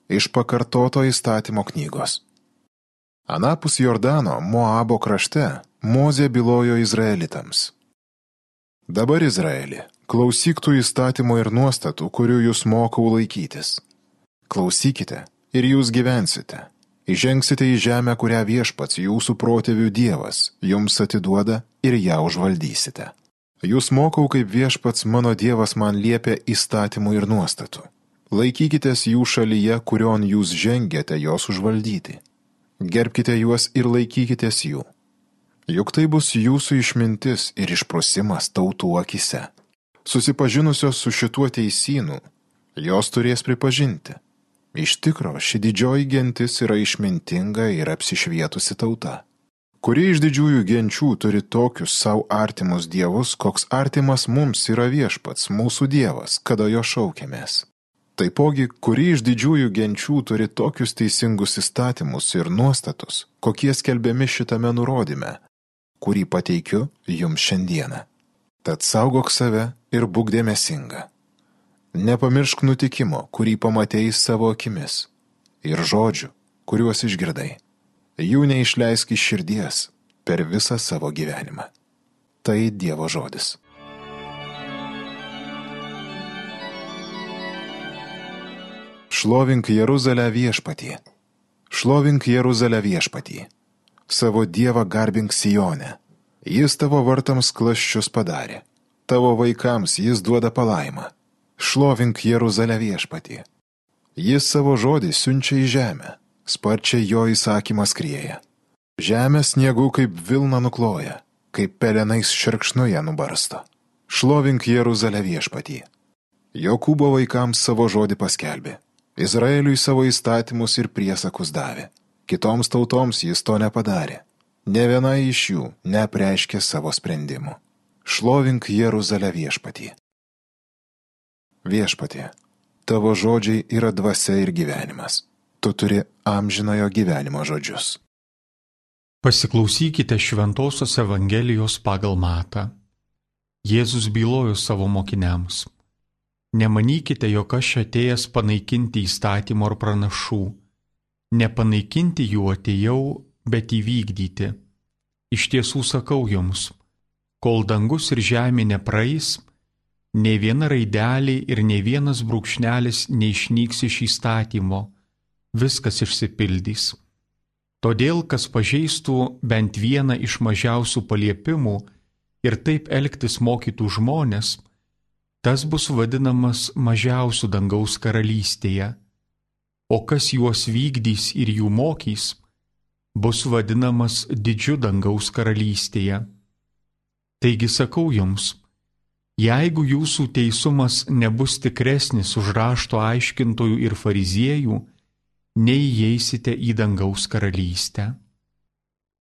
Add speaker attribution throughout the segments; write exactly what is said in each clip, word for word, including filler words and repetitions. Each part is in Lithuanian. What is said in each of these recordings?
Speaker 1: Iš pakartoto įstatymo knygos. Anapus Jordano, Moabo krašte, Mozė bylojo izraelitams. Dabar, Izraeli, klausyk tų įstatymų ir nuostatų, kurių jūs mokau laikytis. Klausykite ir jūs gyvensite. Įžengsite į žemę, kurią viešpats jūsų protėvių Dievas jums atiduoda ir ją užvaldysite. Jūs mokau, kaip viešpats mano Dievas man liepia įstatymų ir nuostatų. Laikykitės jų šalyje, kurion jūs žengėte jos užvaldyti. Gerbkite juos ir laikykitės jų. Juk tai bus jūsų išmintis ir išprusimas tautų akise. Susipažinusios su šituo teisynu, jos turės pripažinti. Iš tikro, ši didžioji gentis yra išmintinga ir apsišvietusi tauta. Kuri iš didžiųjų genčių turi tokius savo artimus dievus, koks artimas mums yra viešpats, mūsų Dievas, kada jo šaukiamės. Taipogi, kuri iš didžiųjų genčių turi tokius teisingus įstatymus ir nuostatus, kokie skelbiami šitame nurodyme, kurį pateikiu jums šiandieną. Tad saugok save ir būk dėmesinga. Nepamiršk nutikimo, kurį pamatei savo akimis, ir žodžių, kuriuos išgirdai. Jų neišleisk iš širdies per visą savo gyvenimą. Tai Dievo žodis. Šlovink Jeruzalę viešpatį. Šlovink Jeruzalę viešpatį. Savo Dievą garbink Sione. Jis tavo vartams klasčius padarė. Tavo vaikams jis duoda palaimą. Šlovink Jeruzalę viešpatį. Jis savo žodį siunčia į žemę. Sparčiai jo įsakymas skrieja. Žemė sniegų kaip vilna nukloja, kaip pelenais šerkšnoje nubarsto. Šlovink Jeruzalę viešpatį. Jokūbo vaikams savo žodį paskelbė. Izraeliui savo įstatymus ir priesakus davė. Kitoms tautoms jis to nepadarė. Ne viena iš jų neapreiškė savo sprendimų. Šlovink Jeruzalę viešpatį. Viešpatie, tavo žodžiai yra dvasia ir gyvenimas. Tu turi amžinojo gyvenimo žodžius.
Speaker 2: Pasiklausykite Šventosios Evangelijos pagal Matą. Jėzus bylojo savo mokiniams. Nemanykite, jog aš atėjęs panaikinti įstatymo ar pranašų. Nepanaikinti jų atėjau, bet įvykdyti. Iš tiesų sakau jums, kol dangus ir žemė nepraeis, nei viena raidelė ir nei vienas brūkšnelis neišnyks iš įstatymo, viskas išsipildys. Todėl, kas pažeistų bent vieną iš mažiausių paliepimų ir taip elgtis mokytų žmonės, tas bus vadinamas mažiausiu dangaus karalystėje, o kas juos vykdys ir jų mokys, bus vadinamas didžiu dangaus karalystėje. Taigi sakau jums, jeigu jūsų teisumas nebus tikresnis už rašto aiškintojų ir fariziejų, neįeisite į dangaus karalystę.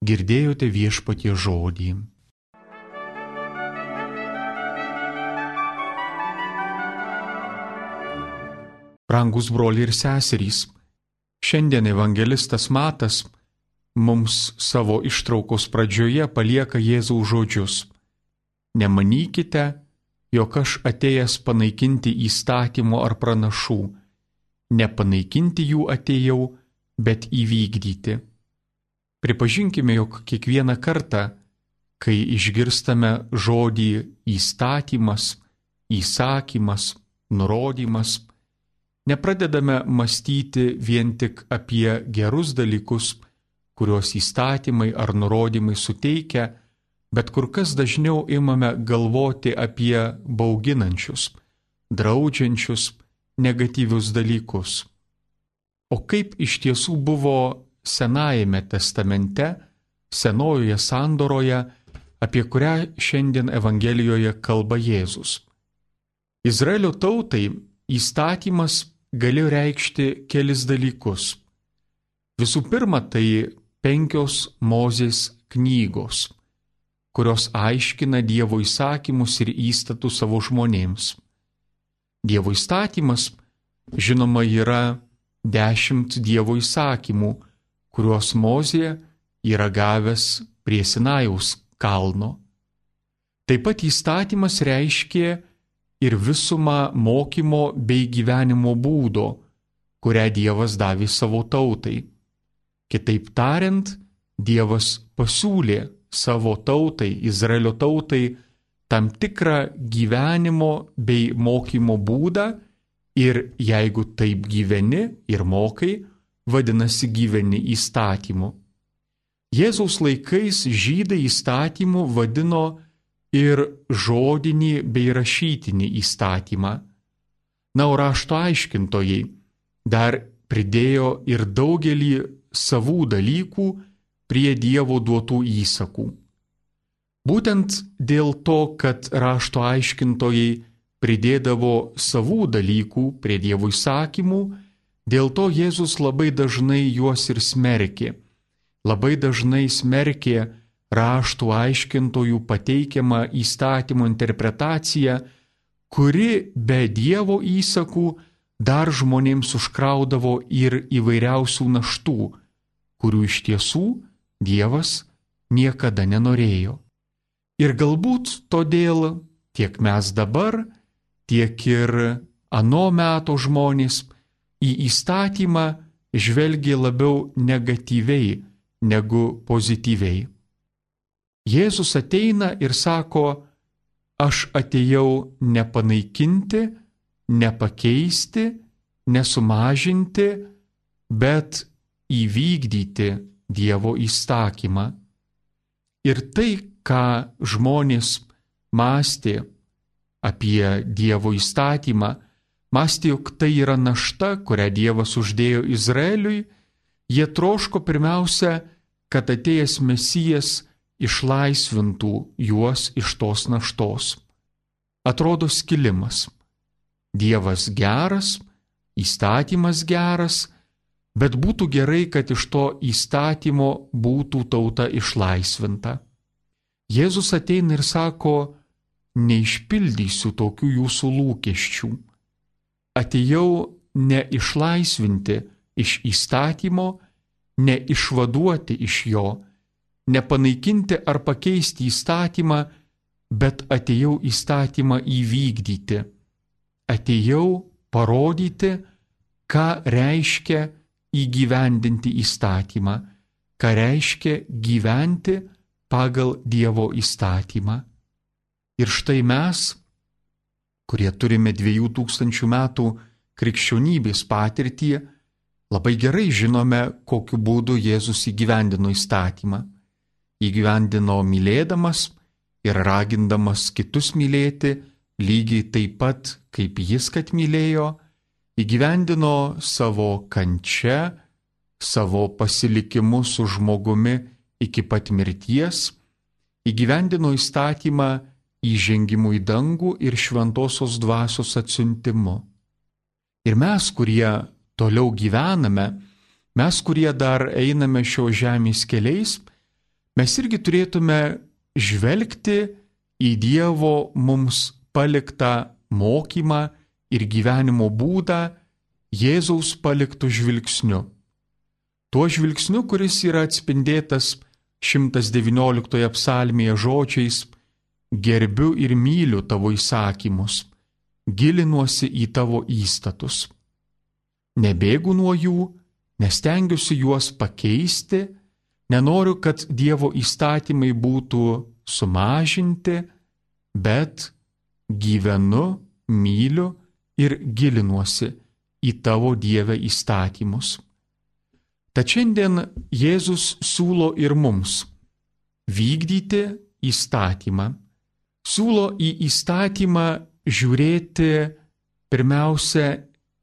Speaker 2: Girdėjote viešpaties žodį. Brangus broliai ir seserys, šiandien evangelistas Matas mums savo ištraukos pradžioje palieka Jėzaus žodžius. Nemanykite, jog aš atėjęs panaikinti įstatymo ar pranašų. Nepanaikinti jų atėjau, bet įvykdyti. Pripažinkime, jog kiekvieną kartą, kai išgirstame žodį įstatymas, įsakymas, nurodymas, nepradedame mąstyti vien tik apie gerus dalykus, kuriuos įstatymai ar nurodymai suteikia, bet kur kas dažniau imame galvoti apie bauginančius, draudžiančius, negatyvius dalykus. O kaip iš tiesų buvo Senajame testamente, senojoje sandoroje, apie kurią šiandien Evangelijoje kalba Jėzus. Izraelio tautai įstatymas galėjo reikšti kelis dalykus. Visų pirma, tai penkios Mozės knygos, kurios aiškina Dievo įsakymus ir įstatus savo žmonėms. Dievo įstatymas, žinoma, yra dešimt Dievo įsakymų, kuriuos Mozė yra gavęs prie Sinajaus kalno. Taip pat įstatymas reiškė ir visumą mokymo bei gyvenimo būdo, kurią Dievas davė savo tautai. Kitaip tariant, Dievas pasiūlė savo tautai, Izraelio tautai, tam tikrą gyvenimo bei mokymo būdą ir jeigu taip gyveni ir mokai, vadinasi gyveni įstatymu. Jėzaus laikais žydai įstatymu vadino ir žodinį bei rašytinį įstatymą. Na, o rašto aiškintojai dar pridėjo ir daugelį savų dalykų prie Dievo duotų įsakų. Būtent dėl to, kad rašto aiškintojai pridėdavo savų dalykų prie Dievo įsakymų, dėl to Jėzus labai dažnai juos ir smerkė. Labai dažnai smerkė raštų aiškintojų pateikiamą įstatymo interpretaciją, kuri be Dievo įsakų dar žmonėms užkraudavo ir įvairiausių naštų, kurių iš tiesų Dievas niekada nenorėjo. Ir galbūt todėl tiek mes dabar, tiek ir ano meto žmonės į įstatymą žvelgia labiau negatyviai negu pozityviai. Jėzus ateina ir sako, aš atėjau nepanaikinti, nepakeisti, nesumažinti, bet įvykdyti Dievo įsakymą. Ir tai, ką žmonės mąstė apie Dievo įstatymą, mąstė, jog tai yra našta, kurią Dievas uždėjo Izraeliui, jie troško pirmiausia, kad atėjęs Mesijas išlaisvintų juos iš tos naštos. Atrodo skilimas. Dievas geras, įstatymas geras, bet būtų gerai, kad iš to įstatymo būtų tauta išlaisvinta. Jėzus ateina ir sako, neišpildysiu tokių jūsų lūkesčių. Atėjau ne išlaisvinti iš įstatymo, ne išvaduoti iš jo, nepanaikinti ar pakeisti įstatymą, bet atėjau įstatymą įvykdyti. Atėjau parodyti, ką reiškia įgyvendinti įstatymą, ką reiškia gyventi pagal Dievo įstatymą. Ir štai mes, kurie turime dviejų tūkstančių metų krikščionybės patirtį, labai gerai žinome, kokiu būdu Jėzus įgyvendino įstatymą. Įgyvendino mylėdamas ir ragindamas kitus mylėti, lygiai taip pat, kaip jis kad mylėjo, įgyvendino savo kančia, savo pasilikimu su žmogumi iki pat mirties, įgyvendino įstatymą įžengimu į dangų ir šventosios dvasios atsiuntimu. Ir mes, kurie toliau gyvename, mes, kurie dar einame šio žemės keliais, mes irgi turėtume žvelgti į Dievo mums paliktą mokymą ir gyvenimo būdą Jėzaus paliktų žvilgsniu. Tuo žvilgsniu, kuris yra atspindėtas šimtas devynioliktoje psalmėje žodžiais: gerbiu ir myliu tavo įsakymus, gilinuosi į tavo įstatus. Nebėgu nuo jų, nestengiuosi juos pakeisti, nenoriu, kad Dievo įstatymai būtų sumažinti, bet gyvenu, myliu ir gilinuosi į tavo Dieve įstatymus. Tad šiandien Jėzus siūlo ir mums vykdyti įstatymą. Siūlo į įstatymą žiūrėti pirmiausia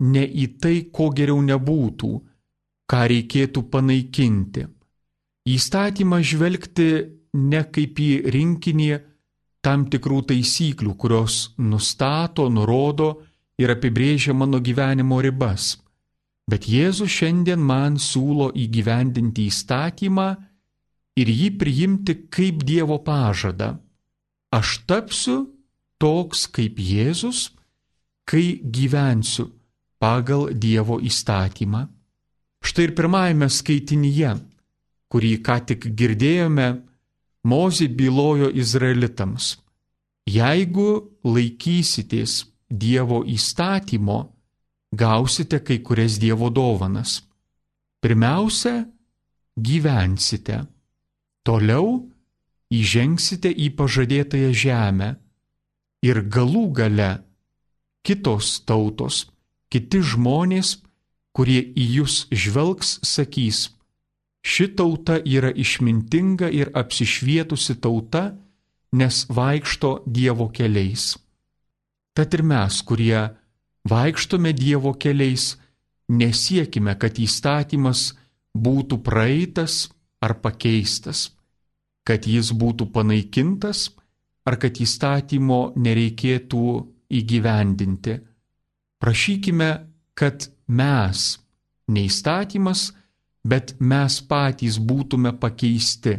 Speaker 2: ne į tai, ko geriau nebūtų, ką reikėtų panaikinti. Į įstatymą žvelgti ne kaip į rinkinį tam tikrų taisyklių, kurios nustato, nurodo ir apibrėžia mano gyvenimo ribas. Bet Jėzus šiandien man siūlo įgyvendinti įstatymą ir jį priimti kaip Dievo pažadą. Aš tapsiu toks kaip Jėzus, kai gyvensiu pagal Dievo įstatymą. Štai ir pirmajame skaitinyje, kurį ką tik girdėjome, Mozė bylojo gausite kai kurias Dievo dovanas. Pirmiausia, gyvensite. Toliau įžengsite į pažadėtąją žemę. Ir galų gale kitos tautos, kiti žmonės, kurie į jūs žvelgs, sakys: ši tauta yra išmintinga ir apsišvietusi tauta, nes vaikšto Dievo keliais. Tad ir mes, kurie vaikštome Dievo keliais, nesiekime, kad įstatymas būtų praeitas ar pakeistas, kad jis būtų panaikintas ar kad įstatymo nereikėtų įgyvendinti. Prašykime, kad mes, ne įstatymas, bet mes patys būtume pakeisti.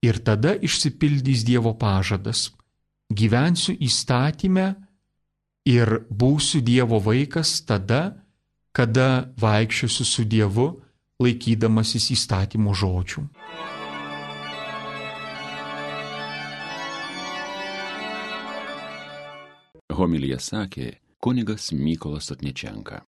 Speaker 2: Ir tada išsipildys Dievo pažadas: gyvensiu įstatyme ir būsiu Dievo vaikas tada, kada vaikščiosiu su Dievu, laikydamasis įstatymo žodžių.
Speaker 3: Homiliją sakė kunigas Mykolas Sotničenka.